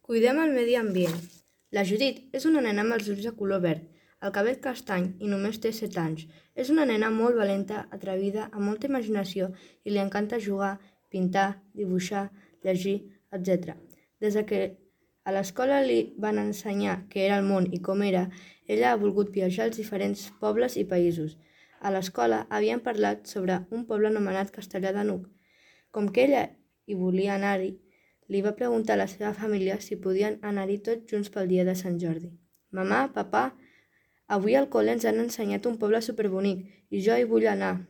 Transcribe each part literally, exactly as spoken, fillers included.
Cuidem el medi ambient. La Judit és una nena amb els ulls de color verd, el cabell castany i només té set anys. És una nena molt valenta, atrevida, amb molta imaginació i li encanta jugar, pintar, dibuixar, llegir, etcètera. Des que a l'escola li van ensenyar què era el món i com era, ella ha volgut viatjar als diferents pobles i països. A l'escola havien parlat sobre un poble anomenat Castellar de n'Hug. Com que ella hi volia anar-hi, li va preguntar a la seva família si podien anar-hi tots junts pel dia de Sant Jordi. «Mamà, papà, avui al col·le ens han ensenyat un poble superbonic i jo hi vull anar»,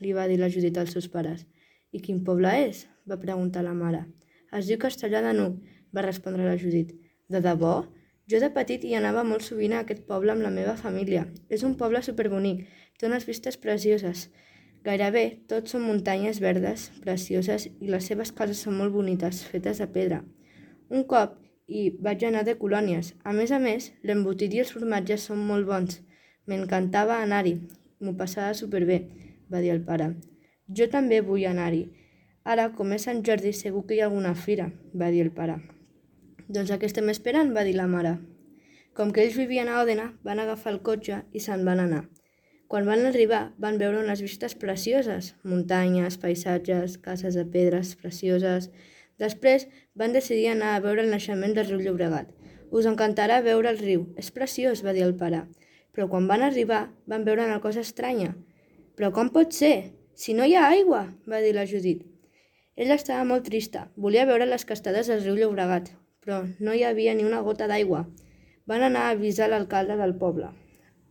li va dir la Judit als seus pares. «I quin poble és?», va preguntar la mare. «Es diu Castellar de n'Hug», va respondre la Judit. «De debò? Jo de petit hi anava molt sovint a aquest poble amb la meva família. És un poble superbonic, té unes vistes precioses. Gairebé tots són muntanyes verdes, precioses, i les seves cases són molt bonites, fetes de pedra. Un cop hi vaig anar de colònies. A més a més, l'embotit i els formatges són molt bons. M'encantava anar-hi. M'ho passava superbé», va dir el pare. «Jo també vull anar-hi. Ara, com és Sant Jordi, segur que hi ha alguna fira», va dir el pare. «Doncs a què estem esperant?», va dir la mare. Com que ells vivien a Òdena, van agafar el cotxe i se'n van anar. Quan van arribar, van veure unes vistes precioses, muntanyes, paisatges, cases de pedres precioses. Després van decidir anar a veure el naixement del riu Llobregat. «Us encantarà veure el riu, és preciós», va dir el pare. Però quan van arribar, van veure una cosa estranya. «Però com pot ser? Si no hi ha aigua», va dir la Judit. Ella estava molt trista, volia veure les cascades del riu Llobregat, però no hi havia ni una gota d'aigua. Van anar a avisar l'alcalde del poble.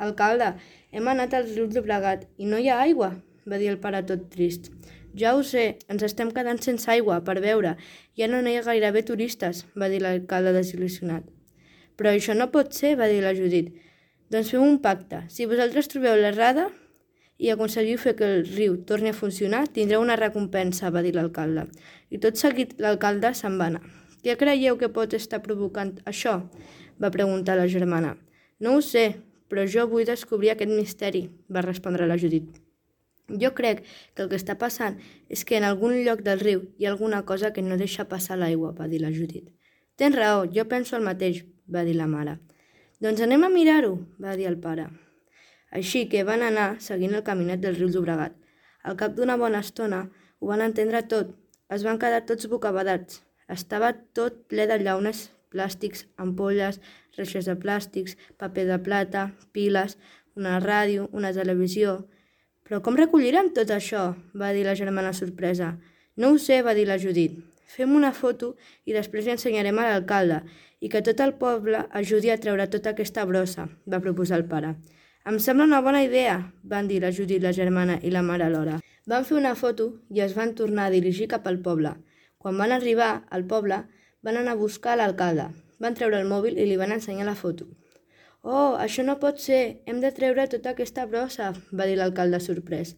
«Alcalde, hem anat al riu Llobregat i no hi ha aigua», va dir el pare tot trist. «Ja ho sé, ens estem quedant sense aigua per beure. Ja no hi ha gairebé turistes», va dir l'alcalde desil·lusionat. «Però això no pot ser», va dir la Judit. «Doncs fem un pacte. Si vosaltres trobeu l'errada i aconseguiu fer que el riu torni a funcionar, tindreu una recompensa», va dir l'alcalde. I tot seguit l'alcalde se'n va anar. «Què creieu que pot estar provocant això?», va preguntar la germana. «No ho sé, però jo vull descobrir aquest misteri», va respondre la Judit. «Jo crec que el que està passant és que en algun lloc del riu hi ha alguna cosa que no deixa passar l'aigua», va dir la Judit. «Tens raó, jo penso el mateix», va dir la mare. «Doncs anem a mirar-ho», va dir el pare. Així que van anar seguint el caminet del riu Llobregat. Al cap d'una bona estona ho van entendre tot. Es van quedar tots bocabadats. Estava tot ple de llaunes, plàstics, ampolles, reixes de plàstics, paper de plata, piles, una ràdio, una televisió. «Però com recollirem tot això?», va dir la germana sorpresa. «No ho sé», va dir la Judit. «Fem una foto i després li ensenyarem a l'alcalde i que tot el poble ajudi a treure tota aquesta brossa», va proposar el pare. «Em sembla una bona idea», van dir la Judit, la germana i la mare alhora. Van fer una foto i es van tornar a dirigir cap al poble. Quan van arribar al poble, van anar a buscar l'alcalde. Van treure el mòbil i li van ensenyar la foto. «Oh, això no pot ser, hem de treure tota aquesta brossa», va dir l'alcalde sorprès.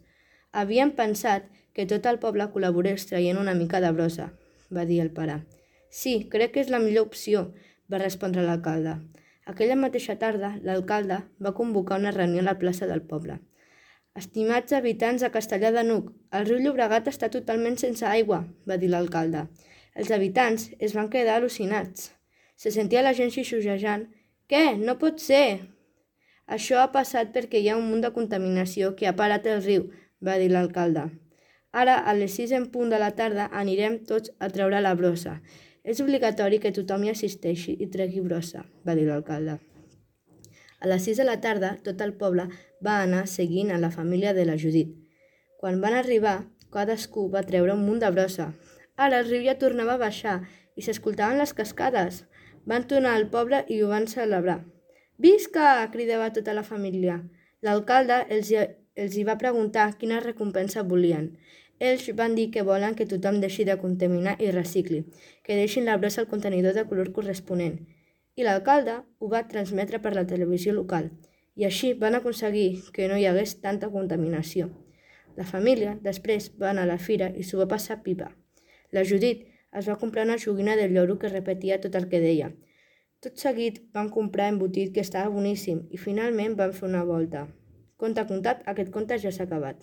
«Havíem pensat que tot el poble col·laborés traient una mica de brossa», va dir el pare. «Sí, crec que és la millor opció», va respondre l'alcalde. Aquella mateixa tarda, l'alcalde va convocar una reunió a la plaça del poble. «Estimats habitants de Castellar de n'Hug, el riu Llobregat està totalment sense aigua», va dir l'alcalde. Els habitants es van quedar al·lucinats. Se sentia la gent xixujejant. «Què? No pot ser!» «Això ha passat perquè hi ha un munt de contaminació que ha parat el riu», va dir l'alcalde. «Ara, a les sis en punt de la tarda, anirem tots a treure la brossa. És obligatori que tothom hi assisteixi i tregui brossa», va dir l'alcalde. A les sis de la tarda, tot el poble va anar seguint a la família de la Judit. Quan van arribar, cadascú va treure un munt de brossa. Ara el riu ja tornava a baixar i s'escoltaven les cascades. Van tornar al poble i ho van celebrar. «Visca!», cridava tota la família. L'alcalde els, els hi va preguntar quina recompensa volien. Ells van dir que volen que tothom deixi de contaminar i recicli, que deixin la brossa al contenidor de color corresponent. I l'alcalde ho va transmetre per la televisió local, i així van aconseguir que no hi hagués tanta contaminació. La família després va anar a la fira i s'ho va passar pipa. La Judit es va comprar una joguina del lloro que repetia tot el que deia. Tot seguit van comprar embotit que estava boníssim i finalment van fer una volta. Conte contat, aquest conte ja s'ha acabat.